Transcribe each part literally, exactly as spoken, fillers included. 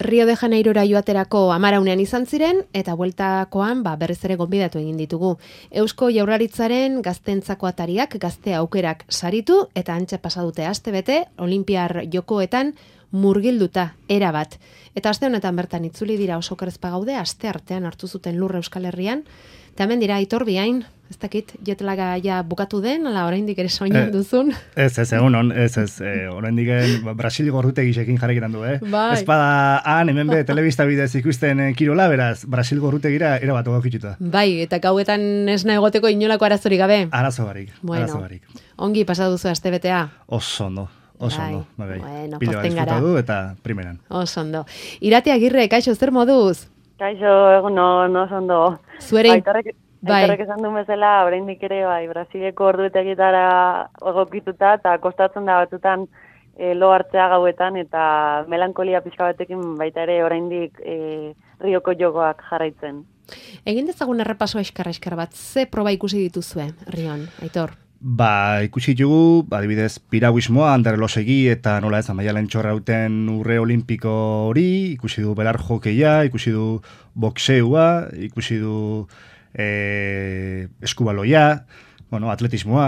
Rio de Janeirora joaterako amaraunean izan ziren, eta bueltakoan ba, berriz ere gonbidatu egin ditugu. Eusko Jaurlaritzaren gaztentzako atariak gazte aukerak saritu, eta antxe pasadute aste bete, Olinpiar jokoetan murgilduta erabat. Eta aste honetan bertan itzuli dira oso kerezpa gaude, aste artean hartu zuten lurra Euskal Herrian, eta hemen dira Aitor Biain, ez dakit, jetlaga ja bukatu den, ala oraindik ere soinan duzun. Ez, ez, egun hon, ez, ez, e, oraindik Brasil gorrutegisekin jarrekitan du, eh? Bai. Ez bada han, hemen be, telebista bidez ikusten kirola, beraz, Brasil gorrutegira erabat ogokituta. Bai, eta gauetan esna egoteko inolako arazorik gabe. Arazo barik, bueno, arazo barik. Ongi pasaduzu aste betea. Oso ondo. Oso ondo, bai. Bueno, pila pozten gara. Du eta primeran. Oso ondo. Irate Agirre, kaixo, zer moduz? Kaixo, egun no, no oso ondo. Zuere... Aitorrek, aitorrek esan duen bezala, oraindik ere, bai, Brasileko orduetegitara egokituta, eta kostatzen da batutan e, lo hartzea gauetan, eta melankolia pixka batekin baita ere oraindik e, Rioko jokoak jarraitzen. Egin dezagun errepaso eskar-eskar bat, ze proba ikusi dituzue, Rion, Aitor? Ba, ikusi dugu, adibidez, piraguismoa, anderelosegi eta nola ez, Amaialen Txorrauten urre olimpiko hori, ikusi du belar jokeia, ikusi du boxeua, ikusi du e, eskubaloia, bueno, atletismoa,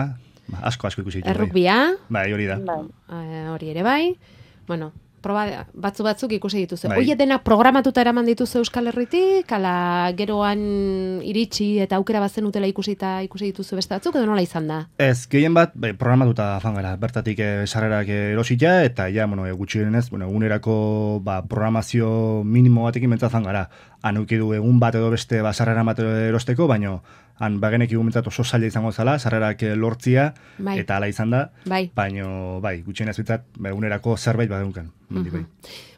ba, asko asko ikusi dugu. Errukbia. Bai, hori da. Bai. Hori ere bai. Bueno, proba batzu batzuk ikusi dituzu. Bai. Hoi dena programatuta eraman dituzu Euskal Herritik, ala geroan iritsi eta aukera bazen utela ikusita ikusi dituzu beste batzuk, edo nola izan da? Ez, gehien bat, bai, programatuta fangara, bertatik e, sarrerak erosita, eta ja, bueno, e, gutxienez, bueno, egunerako ba, programazio minimo batekin bentzat fangara. Han eukidu egun bat edo beste ba, sarrera bat erosteko, baino han bagenek igumentzat oso zaila izango zala, sarrerak lortzia, bai. Eta hala izan da, bai. Baino, bai, gutxienez bitzat, ba, egunerako zerbait badeunkan. Uh -huh. Bai.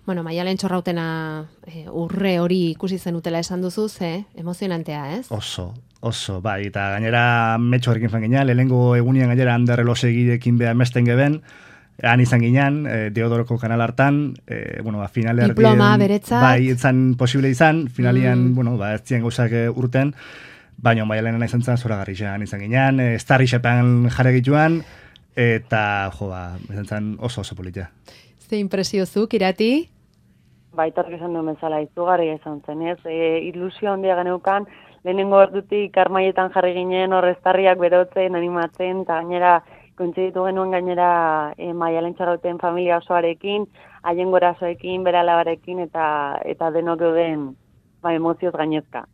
Bueno, Maialen Txorrautena e, urre hori ikusi zenutela esan duzu, ze, emozionantea, ez? Oso, oso, bai, eta gainera metxo horrekin fan ginen, lehenengo egunian gainera handerrelosegidekin beha mesten geben, han izan ginen, e, Deodoroko kanal hartan, e, bueno, ba, finale diploma beretzat. Bai, etzan posible izan, finalian, mm. bueno, ba, ez ziren gauzak urten, baina Maialenen izan zen zoragarri izan ginen, e, Starry Shepan jarri gituan, eta, jo, ba, izan zen oso oso politia. Ze impresiozuk, Irati? Baitork esan duen bezala, izugarria izan zen, ez? E, ilusio handia geneukan, lehenengo ordutik armaietan jarri ginen, horreztarriak berotzen, animatzen, eta gainera, kointziditu genuen gainera e, Maialen Txorrauten familia osoarekin, haien gorasoekin, bere alabarekin, eta, eta denok geuden ba, emozioz gainezka.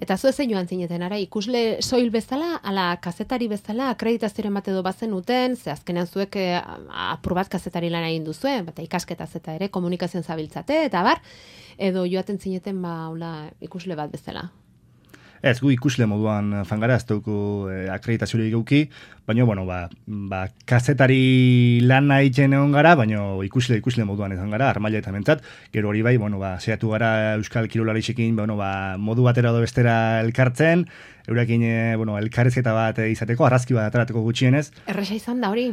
Eta zu ezen joan zineten, ara, ikusle soil bezala, ala kazetari bezala, akreditazioaren bat edo bazen uten, ze azkenean zuek eh, apur bat kazetari lan egin duzue, bata ikasketaz eta ere komunikazioan zabiltzate, eta bar, edo joaten zineten ba, hola, ikusle bat bezala. Ez, gu ikusle moduan fangara, ez dugu eh, akreditaziorik geuki, baina, bueno, ba, ba, kazetari lan egiten egon gara, baina ikusle ikusle moduan izan gara, armaila eta mentzat, gero hori bai, bueno, ba, seiatu gara Euskal Kirolarixekin, bueno, ba, modu batera edo bestera elkartzen, eurekin, eh, bueno, elkarrezketa bat izateko, arrazki bat aterateko gutxienez. Erresa izan da hori?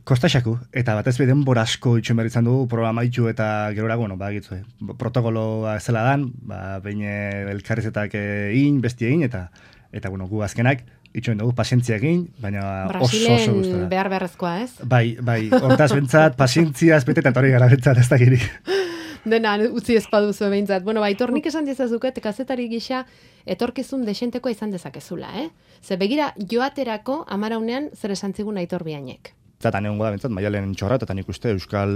Kostaxaku, eta batez beden borasko itxuen behar izan dugu, programa itxu eta gerora, bueno, ba, gitu, protokoloa zela dan, ba, behin elkarrezetak egin, besti egin, eta, eta, bueno, gu azkenak, itxuen dugu pazientzia egin, baina oso oso guztora. Brasilen behar beharrezkoa, ez? Bai, bai, hortaz bentzat, pazientzia azpete, eta hori gara bentzat, ez dakirik. Dena, utzi ezpaduzu behintzat. Bueno, ba, Aitor, nik esan dizazuket, kazetari gisa, etorkizun desentekoa izan dezakezula, eh? Ze begira, joaterako amaraunean zer esan zigun Aitor Biainek. Zatan egon goda bentzat, Maialen Txorra, eta nik uste Euskal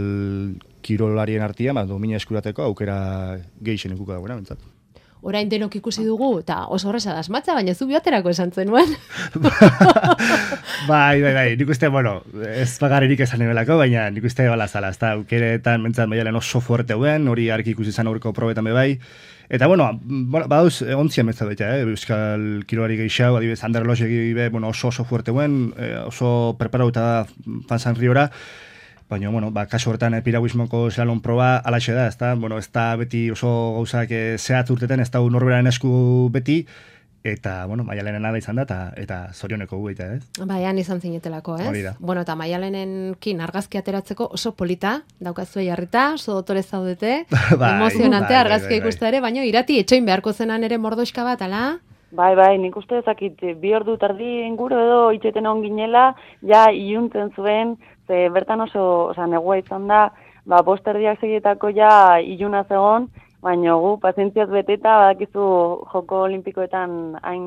Kirolarien artean, ba, domina eskurateko aukera gehixen ikuka dagoena bentzat. Orain denok ikusi dugu, eta oso horreza dasmatza, baina zu bioterako esan zenuen. bai, bai, bai, nik uste, bueno, ez bagarririk esan nebelako, baina nik uste bala zala, ez da, aukeretan bentzat Maialen oso fuerte hauen, hori arki ikusi zan aurreko probetan bebai, eta, bueno, badauz, ontzien bentzat baita, eh? Euskal Kirolari gehixau, adibidez, anderelosegi be, bueno, oso oso fuerte hauen, oso preparauta da Fansan Riora, baina, bueno, ba, kasu horretan eh, piraguismoko slalom proba alaxe da, ez da, bueno, ez da beti oso gauzak eh, zehatz urteten, ez da norberaren esku beti, eta, bueno, Maialenen ala izan da, eta, eta zorioneko gu egitea, ez? Baian izan zinetelako, ez? Hori da. Bueno, eta Maialenenkin argazki ateratzeko oso polita, daukazue jarrita, oso dotore zaudete, bai, emozionante bai, argazkia bai, bai, ikuste ere, baina Irati, etxoin beharko zenan ere mordoxka bat, ala? Bai, bai, nik uste ezakit, bi ordu tardi inguru edo itxeten on ginela, ja iluntzen zuen, ze bertan oso, oza, negua izan da, ba, bosterdiak segietako ja iluna zegon, baina gu, pazientziaz beteta, badakizu joko olimpikoetan hain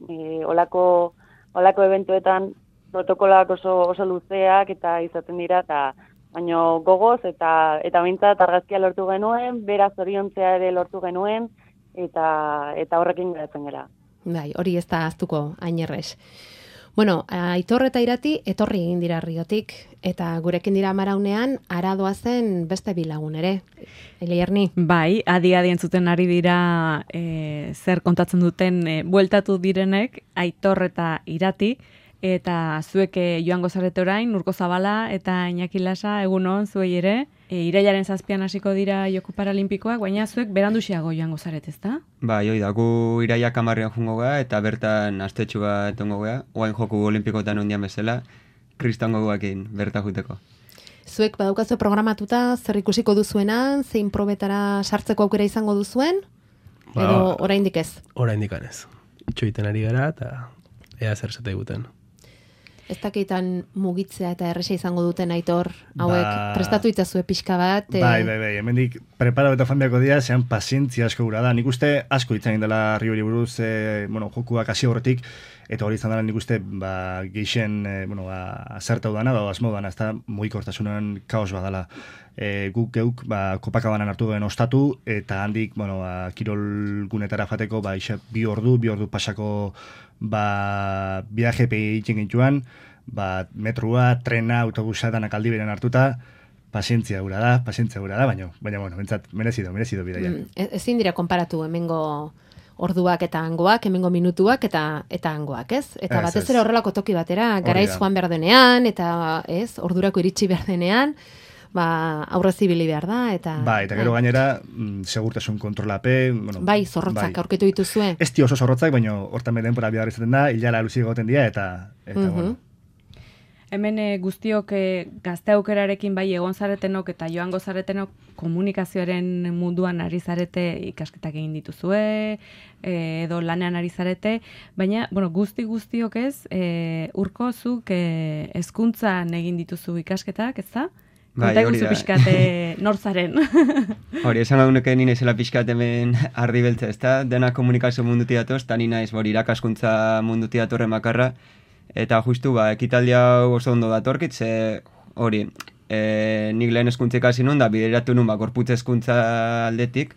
e, olako, olako eventuetan protokolak oso, oso luzeak eta izaten dira, eta baina gogoz eta eta bintzat argazkia lortu genuen, beraz zoriontzea ere lortu genuen, eta eta horrekin geratzen gara. Bai, hori ez da aztuko hain errez. Bueno, Aitor eta Irati etorri egin dira Riotik, eta gurekin dira Amaraunean aradoa zen beste bilagun ere. Elierni? Bai, adi-adi entzuten ari dira e, zer kontatzen duten e, bueltatu direnek, Aitor eta Irati, eta zuek joango zarete orain, Urko Zabala eta Iñaki Lasa, egunon zuei ere, e, irailaren zazpian hasiko dira Joko Paralimpikoak, baina zuek beranduxiago joango zarete, ezta? Bai, hoi da, gu irailak hamarrean jungo gara, eta bertan astetxu bat ongo gara, oain Joku Olimpikoetan ondian bezala, kristongo guakin berta juteko. Zuek badaukazu programatuta, zer ikusiko duzuenan, zein probetara sartzeko aukera izango duzuen, ba, edo oraindik ez? Oraindik ez. Itxoiten ari gara, eta ea zer zate eguten. Ez dakitan mugitzea eta erresa izango duten Aitor, hauek ba, prestatu itzazue pixka bat. E... Bai, bai, bai, hemendik prepara eta fanbiako dira, zean pazientzia asko gura da. Nik uste asko itzan dela Riori buruz, e, bueno, jokuak hasi horretik, eta hori izan dela nik uste, ba, geixen, e, bueno, ba, azertau dana, ba, asmo dana, ez da mugikortasunan kaos badala. E, guk geuk, ba, Kopakabanan hartu duen ostatu, eta handik, bueno, ba, kirol gunetara jateko, ba, isa, bi ordu, bi ordu pasako, ba, viaje egiten gintuan, ba, metrua, trena, autobusa danak aldi beren hartuta, pazientzia gura da, pazientzia gura da, baina, baina, bueno, bentsat, merezido, merezido bidaia. Mm, ezin dira konparatu hemengo orduak eta hangoak, hemengo minutuak eta eta hangoak, ez? Eta batez ere horrelako toki batera, garaiz joan behar denean, eta, ez, ordurako iritsi behar denean, ba, aurrez ibili behar da, eta... Ba, eta gero gainera, mm, segurtasun kontrolape... Bueno, bai, zorrotzak bai. Aurkitu dituzue. Ez di oso zorrotzak, baina hortan beden pora bidar izaten da, hilala luzi egoten dira, eta, eta uh -huh. bueno. Hemen e, guztiok e, gazte aukerarekin bai egon zaretenok eta joango zaretenok komunikazioaren munduan ari zarete ikasketak egin dituzue, e, edo lanean ari zarete, baina, bueno, guzti guztiok ez, e, Urko zuk e, hezkuntzan egin dituzu ikasketak, ez da? Bai, Konta eguzu pixkate nortzaren. Hori, esan gauneke nina izela pixkat hemen ardi beltza, ez da? Dena komunikazio munduti datoz, eta nina ez irakaskuntza munduti datorren bakarra, eta justu, ba, ekitaldia oso ondo datorkit, ze hori, e, nik lehen eskuntza ikasi nun, da bideratu nun, ba, gorputz eskuntza aldetik,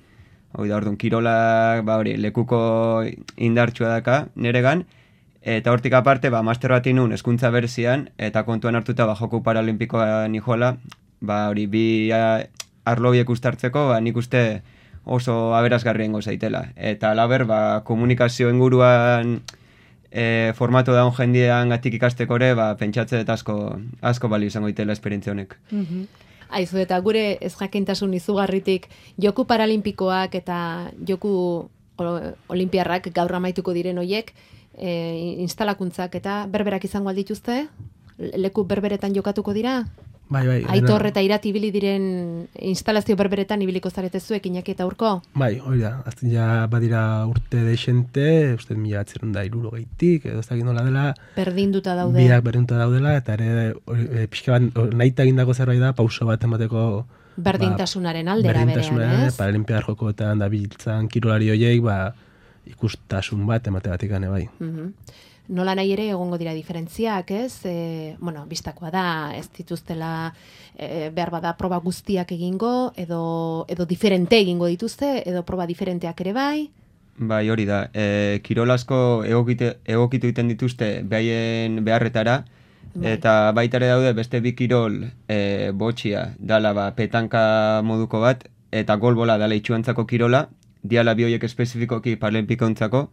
hori da, orduan, kirolak, ba, hori, lekuko indartsua daka neregan, eta hortik aparte, ba, master bat inun eskuntza berzian, eta kontuan hartuta, ba, Joku Paralimpikoa nijola, ba, hori, bi arlobiek ustartzeko, ba, nik uste oso aberasgarriengo zaitela. Eta laber, ba, komunikazio inguruan e, formato daun jendean gatik ikasteko ere, ba, pentsatze eta asko, asko bali izango itela esperientzia honek. Mm-hmm. Aizu, eta gure ez jakintasun izugarritik, Joku Paralimpikoak eta Joku Olimpiarrak gaur amaituko diren hoiek, e, instalakuntzak eta berberak izango aldituzte? Leku berberetan jokatuko dira? Bai, bai. Aitor eta Irati ibili diren instalazio berberetan ibiliko zarete zuek, Iñaki eta Urko? Bai, hori da. Azten ja badira urte deixente, uste mila atzerun da iruro gehitik, edo ez dakit nola dela. Berdinduta daude. Biak berdinduta daudela, eta ere e, pixka bat nahita egindako zerbait da, pauso bat emateko... Berdintasunaren aldera berean, berdintasunaren, ez? Paralimpiar jokoetan da biltzan kirolari horiek, ba, ikustasun bat emate batik gane bai. Mm-hmm. Nola nahi ere egongo dira diferentziak, ez? E, bueno, bistakoa da, ez dituztela e, behar bada proba guztiak egingo, edo, edo diferente egingo dituzte, edo proba diferenteak ere bai? Bai, hori da. E, kirol asko egokite, egokitu egiten dituzte behaien beharretara, bai. Eta baita ere daude beste bi kirol e, botxia, dala ba, petanka moduko bat, eta golbola dala itxuantzako kirola, diala bi horiek espezifikoki paralimpikoentzako,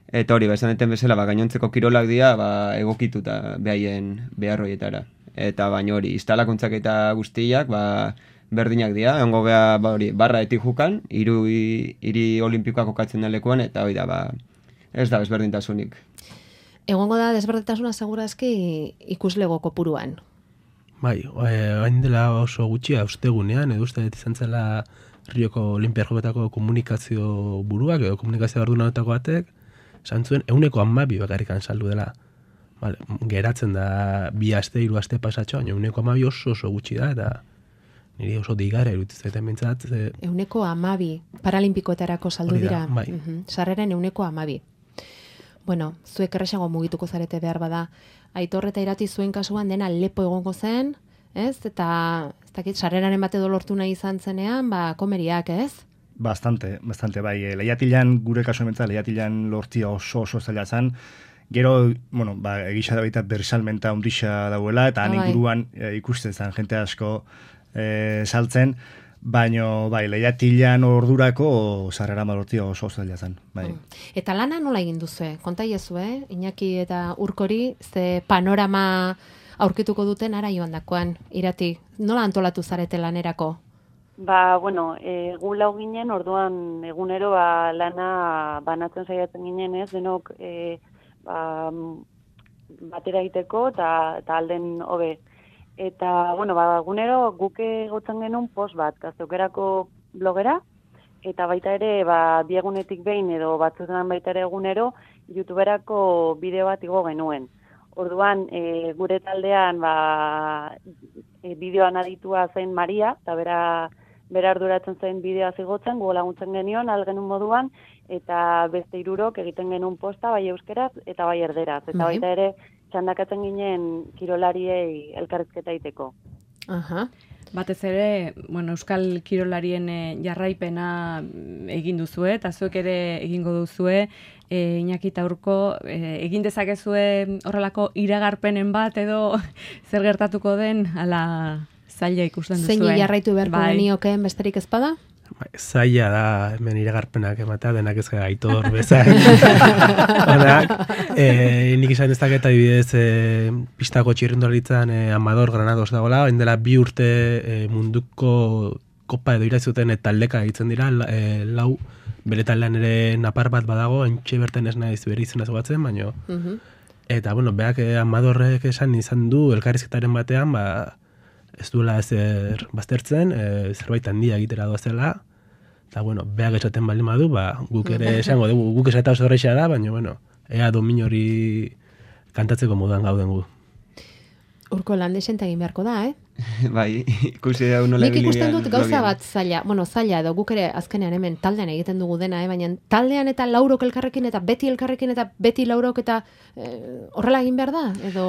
eta hori, ba, esan deten bezala, ba, gainontzeko kirolak dira, ba, egokituta behaien beharroietara. Eta baina hori, instalakuntzak eta guztiak, ba, berdinak dira, ongo beha, ba, hori, barra etik jukan, hiru hiri olimpikoak kokatzen da lekuan, eta hori da, ba, ez da ezberdintasunik. Egongo da desberdintasuna segurazki ikuslego kopuruan. Bai, hain dela oso gutxia ustegunean, edo uste izan zela Rioko Olimpiar Joketako komunikazio buruak, edo komunikazio ardunatako batek, esan zuen, euneko hamabi bakarrikan saldu dela. Vale, geratzen da bi aste, hiru aste pasatxo, baina euneko hamabi oso oso gutxi da, eta niri oso digara iruditzen zaiten bintzat. Ze... Euneko amabi, paralimpikoetarako saldu Hori da, dira. bai. Mhm, sarreren euneko amabi. Bueno, zuek erresago mugituko zarete behar bada. Aitor eta Irati zuen kasuan dena lepo egongo zen, ez? Eta, ez dakit, sarreraren bate dolortu nahi izan zenean, ba, komeriak, ez? Bastante, bastante, bai. E, lehiatilan, gure kasu ementza, lehiatilan lortia oso oso zaila zen. Gero, bueno, ba, egisa da baita bersalmenta ondisa dauela, eta han Ah, bai. inguruan e, ikusten zen, jente asko e, saltzen, baino, bai, lehiatilan ordurako sarrera malortia oso zaila zen, bai. Mm. Eta lana nola egin duzue? Konta iezu, eh? Iñaki eta Urkori, ze panorama aurkituko duten ara joan dakoan, Irati. Nola antolatu zarete lanerako? Ba, bueno, e, gu lau ginen, orduan egunero ba, lana banatzen saiatzen ginen, ez, denok e, ba, batera egiteko eta, eta alden hobe. Eta, bueno, ba, egunero guk egotzen genuen post bat, gazteukerako blogera, eta baita ere, ba, biegunetik behin edo batzutan baita ere egunero, YouTuberako bideo bat igo genuen. Orduan, e, gure taldean, ba, e, bideoan aditua zen Maria, eta bera, bera arduratzen zen bideoa zigotzen, gu laguntzen genion, algenun moduan, eta beste hirurok egiten genuen posta, bai euskeraz eta bai erderaz. Eta Bai. baita ere, txandakatzen ginen kirolariei elkarrizketa egiteko. Aha. Batez ere, bueno, Euskal Kirolarien eh, jarraipena egin duzue, eta zuek ere egingo duzue, e, Iñaki eta Urko, e, egin dezakezue horrelako iragarpenen bat edo zer gertatuko den, ala zaila ikusten duzue. Zein jarraitu beharko Bai. geniokeen besterik ez bada? Bai, zaila da, hemen iragarpenak ematea, denak ez gara Aitor bezain. Onak, e, nik izan ez daketa adibidez e, pistako txirrindularitzan e, Amador Granados dagoela, hain dela bi urte e, munduko kopa edo irazuten eta taldeka egiten dira, la, e, lau bere taldean ere napar bat badago, entxe berten ez naiz bere izena zogatzen, baino. Mhm. Eta, bueno, beak e, Amadorrek esan izan du, elkarrizketaren batean, ba, ez duela ezer baztertzen, e, zerbait handia egitera doazela, eta, bueno, beak esaten baldin badu, ba, guk ere esango dugu, guk esata oso horreixa da, baina, bueno, ea domin hori kantatzeko moduan gauden gu. Urko landesenta egin beharko da, eh? Bai, ikusi da nola Nik ibili ikusten bian dut gauza blogean. bat zaila, bueno, zaila edo guk ere azkenean hemen taldean egiten dugu dena, eh? Baina taldean eta laurok elkarrekin eta beti elkarrekin eta beti laurok eta eh, horrela egin behar da? Edo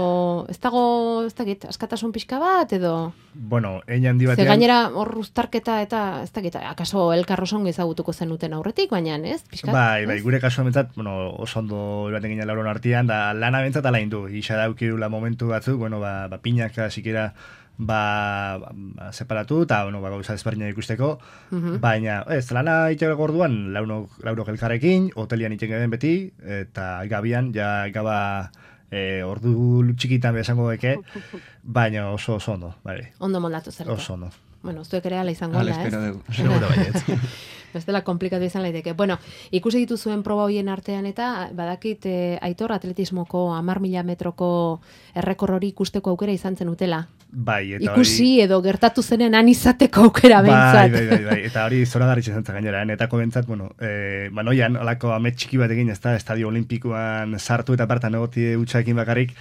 ez dago, ez dakit, askatasun pixka bat, edo... Bueno, hein handi Ze batean... gainera hor uztarketa eta ez dakit, akaso elkarrosongo ezagutuko zenuten aurretik, baina ez, pixka? Bai, bai, gure kasuan bentzat, bueno, oso ondo baten ginen lauron artean, da lana bentzat ala indu. Isa daukirula momentu batzuk, bueno, ba, ba pinaka sikera ba, ba separatu, eta, bueno, ba, gauza ezberdinak ikusteko, Mhm. baina, ez, lana itxeko orduan, launok, laurok elkarrekin, hotelian itxen geben beti, eta gabian, ja, gaba e, ordu txikitan besango deke, baina oso oso ondo, bai, Ondo moldatu zarete. oso ondo. Bueno, zuek ere ala izango Hala da, ez? espero dugu. Seguro baietz. Bestela komplikatu izan laiteke. Bueno, ikusi dituzuen proba hoien artean eta badakit eh, Aitor atletismoko hamar mila metroko errekor hori ikusteko aukera izan zen utela. Bai, eta Ikusi edo gertatu zenen han izateko aukera Bai, behintzat. bai, bai, bai, eta hori zoragarri izan zen gainera, netako bentzat, bueno, e, banoian, olako amet txiki bat egin, ez da, estadio olimpikoan sartu eta partan egotie utxaekin bakarrik,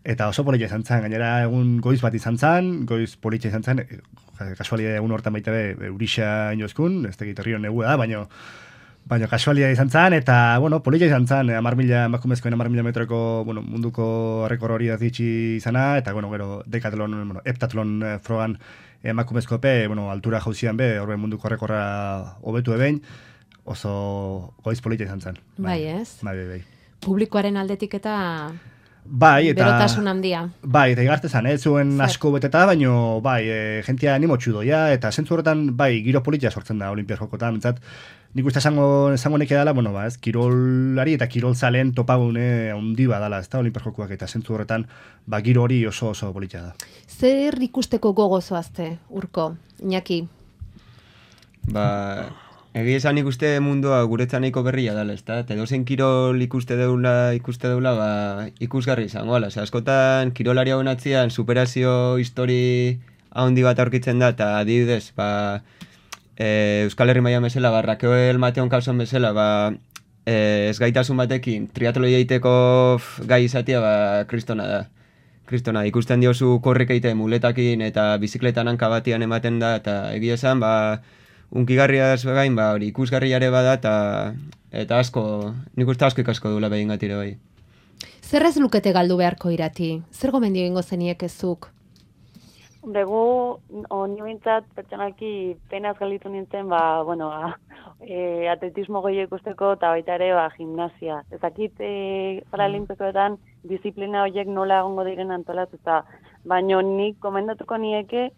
eta oso politxa izan zen, gainera egun goiz bat izan zen, goiz politxa izan zen, e, kasualia egun hortan baita be, eurixa inozkun, ez tegit herrion negua da, baino, baina kasualia izan zen, eta, bueno, politxa izan zen, hamar mila, emakumezkoen hamar mila metroko, bueno, munduko rekor hori azitxi izana, eta, bueno, gero, dekatlon, bueno, heptatlon eh, frogan emakumezkope, bueno, altura jauzian be, horbe munduko rekorra hobetu ebein, oso goiz politxa izan zen. Bai, ez? Bai, bai, bai. Publikoaren aldetik eta Bai, eta... berotasun handia. Bai, eta igarte zan, ez zuen Zer? asko beteta, baino, bai, e, jentia animotxu doia, eta zentzu horretan, bai, giro politxa sortzen da Olimpias jokotan, bentsat, nik uste esango, esango neke dela, bueno, ba, ez, kirolari eta kirol zalen topagune handi badala, ez da, Olimpias jokoak, eta zentzu horretan, ba, giro hori oso oso politxa da. Zer ikusteko gogozoazte, Urko, Iñaki? Ba, egi esan ikuste mundua guretzan nahiko berria dala, ezta? Eta edozein kirol ikuste deula, ikuste deula, ba, ikusgarri izango, ala. Osea, askotan, kirolari hauen atzian, superazio histori handi bat aurkitzen da, eta adibidez, ba, e, Euskal Herri mailan bezala, ba, Raquel Mateon Calzon bezala, ba, e, ez gaitasun batekin, triatloi egiteko f, gai izatea, ba, kristona da. kristona, ikusten diozu korrek eite muletakin eta bizikletan hanka batian ematen da, eta egia esan, ba, unkigarriaz gain, ba, hori ikusgarriare bada, eta, eta asko, nik uste asko ikasko dula behin gatire bai. Zer ez lukete galdu beharko Irati? Zer gomendio ingo zeniek ezuk? Begu, honi bintzat, pertsonaki penaz galditu nintzen, ba, bueno, ba, e, atletismo goio ikusteko eta baita ere, ba, gimnasia. Ezakit, e, paralimpikoetan, disiplina horiek nola egongo diren antolatuta. Baina nik komendatuko nieke,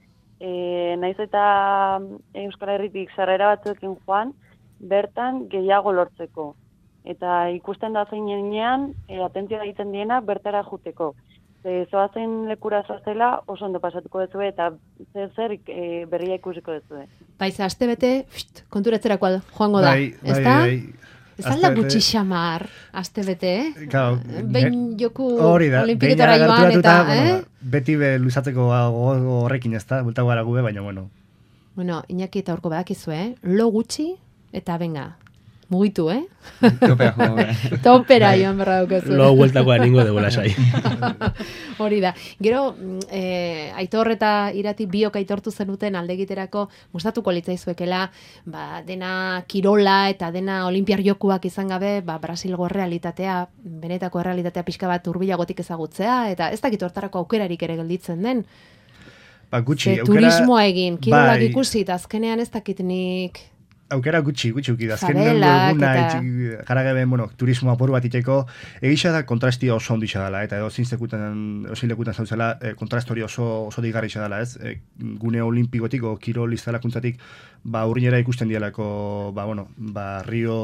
e, naiz eta Euskal Herritik sarrera batzuekin joan, bertan gehiago lortzeko. Eta ikusten da zeinean, e, atentzioa egiten diena, bertara juteko. E, zoazen lekura zoazela oso ondo pasatuko duzue eta zer zer e, berria ikusiko duzue. Baiza, aste bete, pst, konturatzerako joango da, Bai, ez bai, da? bai. Ez alda gutxi xamar, aste bete, eh? Claro, Behin joku hori da, olimpiketara behin joan gerturatuta, eta, bueno, eh? beti be luzatzeko gogo horrekin ez da, bultago gara gube, baina bueno. Bueno, Iñaki eta horko badakizu, eh? Lo gutxi eta venga, mugitu, eh? Topea jugu. Topera joan berra daukazu. Lo hueltakoa ningo de lasai. Hori da. Gero, eh, Aitor eta Irati biok aitortu zenuten alde egiterako gustatuko litzaizuekela, ba, dena kirola eta dena olimpiar jokuak izan gabe, ba, Brasilgo realitatea, benetako realitatea pixka bat hurbilagotik ezagutzea, eta ez dakit hortarako aukerarik ere gelditzen den. Ba, gutxi, Ze aukera... turismoa egin, kirolak bai, ikusi, eta azkenean ez dakit nik... Aukera gutxi, gutxi uki da. Azken Fabelak eguna, eta- jarageben, bueno, turismo apur bat iteko, egisa da kontrastia oso onditxa dela, eta ezin sekutan, ezin lekutan zauzela, e, kontrastori oso, oso digarrixa dela, ez? E, gune olimpikotik, o kirol izalakuntzatik, ba, urrinera ikusten dialako, ba, bueno, ba, rio,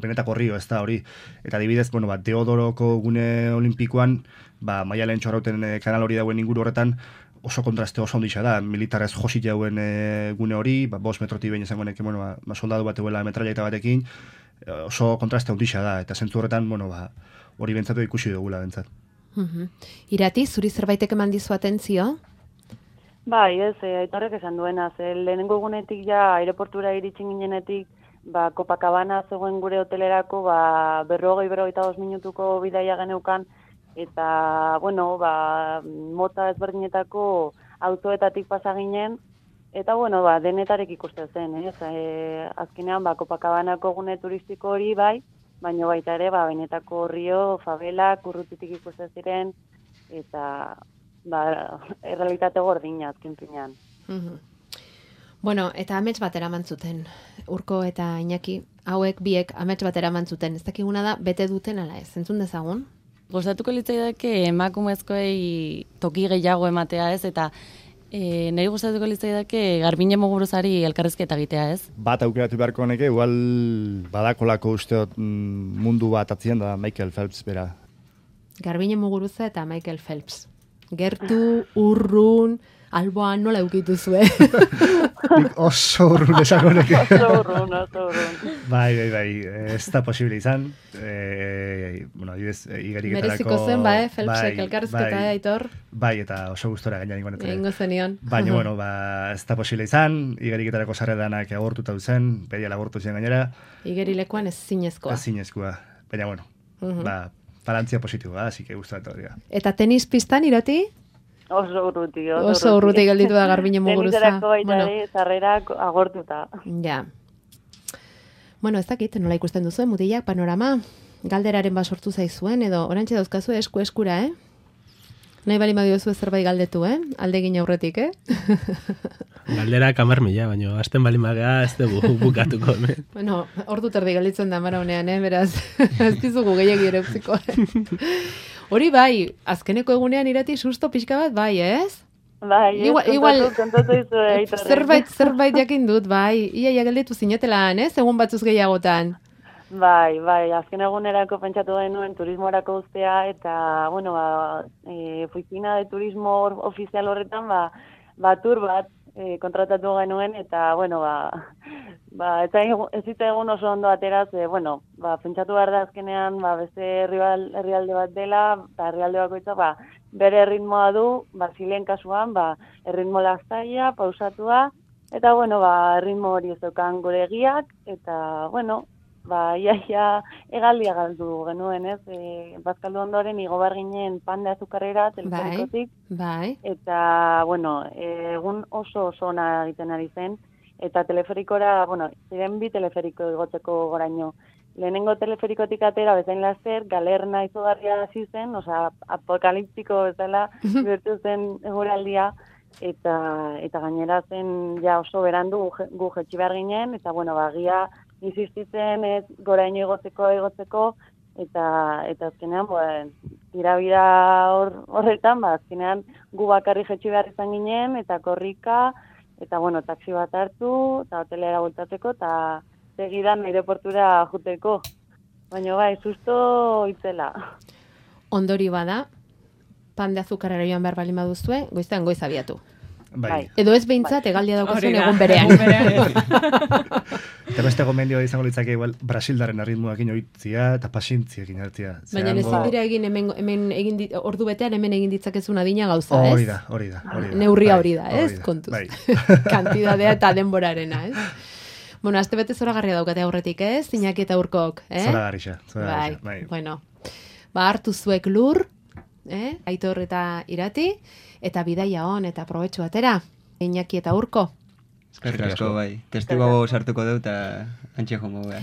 benetako rio, ez da hori. Eta adibidez, bueno, ba, Deodoroko gune olimpikoan, ba, Maialen Txorrauten e, kanal hori dauen inguru horretan, oso kontraste oso onditxa da, militarrez josit jauen e, gune hori, ba, bost metroti behin izango nek, bueno, ba, ba, soldadu bat eguela metraieta batekin, e, oso kontraste onditxa da, eta zentzu horretan, bueno, ba, hori bentsatu ikusi dugula bentsat. Mhm. Irati, zuri zerbaitek eman dizu atentzio? Bai, ez, e, Aitorrek esan duena, ze lehenengo egunetik ja aireportura iritsi ginenetik, ba, Copacabana zegoen gure hotelerako, ba, berrogei, berrogeita bost minutuko bidaia geneukan, eta, bueno, ba, mota ezberdinetako autoetatik pasa ginen, eta, bueno, ba, denetarek ikusten zen, ez? E, azkenean, ba, Copacabanako gune turistiko hori, bai, baina baita ere, ba, benetako rio, favelak, urrutitik ikusten ziren, eta, ba, errealitate gordina azken finean. Mhm. Bueno, eta amets bat eraman zuten. Urko eta Iñaki, hauek biek amets bat eraman zuten. Ez dakiguna da, bete duten ala ez. Entzun dezagun? Gustatuko litzaidake emakumezkoei toki gehiago ematea, ez? Eta e, nahi gustatuko litzaidake Garbiñe Muguruzari elkarrizketa egitea, ez? Bat aukeratu beharko neke, igual badakolako usteot mundu bat atzien da Michael Phelps bera. Garbiñe Muguruza eta Michael Phelps. Gertu, urrun, alboan nola eukitu zuen. Nik oso urrun esango neke. Oso urrun, oso urrun. Bai, bai, bai, ez da posible izan. E, bueno, adibidez, igeriketarako... Mereziko zen, ba, eh? Phelpsek bai, elkarrizketa, bai, Aitor? Bai, eta oso gustora gaina ninguan. Egingo zenion. Baina, bueno, ba, ez da posible izan, igeriketarako sarredanak agortuta zen, pedia agortu zen gainera. Igerilekuan ez zinezkoa. Ez zinezkoa. Baina, bueno, Mhm. ba, balantzia positiboa, así que gustatu hori da. Eta tenis pistan, Irati? Oso urruti, oso, Oso urruti gelditu da Garbiñe Muguruza. Teniserako baita Bueno. ere, sarrerak agortuta. Ja. Bueno, ez dakit, nola ikusten duzu, mutilak, panorama, galderaren bat sortu zaizuen, edo orantxe dauzkazu esku eskura, eh? Nahi bali madiozu zerbait galdetu, eh? Aldegin aurretik, eh? Galdera kamar mila, baina azten bali magea ez dugu bukatuko. hemen. Bueno, ordu terdi galditzen da mara honean, eh? Beraz, ez dizugu gehiagi ere utziko. Hori bai, azkeneko egunean Irati susto pixka bat, bai, ez? Bai, ez, Igual- kontatu, igual- kontatu izu, Aitorrek. Zerbait, zerbait jakin dut, bai. Iaia gelditu zinetelan, ez? Egun batzuz gehiagotan. Bai, bai, azken egunerako pentsatu genuen turismorako uztea, eta, bueno, ba, e, oficina de turismo ofizial horretan, ba, ba tur bat e, kontratatu genuen, eta, bueno, ba, ba, eta ez zitzaigun oso ondo ateraz, e, bueno, ba, pentsatu behar da azkenean, ba, beste herrial- herrialde bat dela, eta herrialde bakoitza, ba, bere erritmoa du, Basilen kasuan, ba, erritmo lastaia, pausatua, eta, bueno, ba, erritmo hori ez daukan gure egiak, eta, bueno, ba, iaia egaldia galdu genuen, ez? E, bazkaldu ondoren igo bar ginen pan de azukarrera, telefonikotik, bai. eta, bueno, egun oso oso ona egiten ari zen, eta teleferikora, bueno, ziren bi teleferiko igotzeko goraino. Lehenengo teleferikotik atera bezain laster, galerna izugarria hasi zen, osea, apokaliptiko bezala bertu zen eguraldia, eta eta gainera zen ja oso berandu gu jetxi behar ginen, eta bueno, bagia insistitzen ez goraino igotzeko, igotzeko, eta eta azkenean, bueno, tirabira hor, horretan, ba, azkenean gu bakarri jetxi behar izan ginen, eta korrika, eta bueno, taxi bat hartu, eta hotelera bultatzeko, eta segidan aireportura juteko. Baina bai, susto itzela. Ondori bada, pan de azukarrera joan behar balin baduzue, goiztean goiz abiatu. Bai. Edo ez behintzat, egaldia daukazuen Hori da, egun berean. egun berean. Eta beste gomendio izango litzake igual Brasildaren arritmoakin oitzia eta pazientziekin hartzia. Baina ezin dira egin hemen, hemen egin dit, ordu betean hemen egin ditzakezun adina gauza, ez? Hori da, hori da, hori da. Neurria Bai, hori da, ez? hori da, Kontuz. bai. Kantidadea eta denborarena, ez? Bueno, azte bete zoragarria daukate aurretik, ez? Iñaki eta Urkok, eh? Zoragarria, Bai, zoragarria, bai. bueno. Ba, hartu zuek lur, eh? Aitor eta Irati, eta bidaia on eta probetxu atera. Iñaki eta Urko. Eskerrik asko, bai. Testigo sartuko dut eta antxe jongo, bai.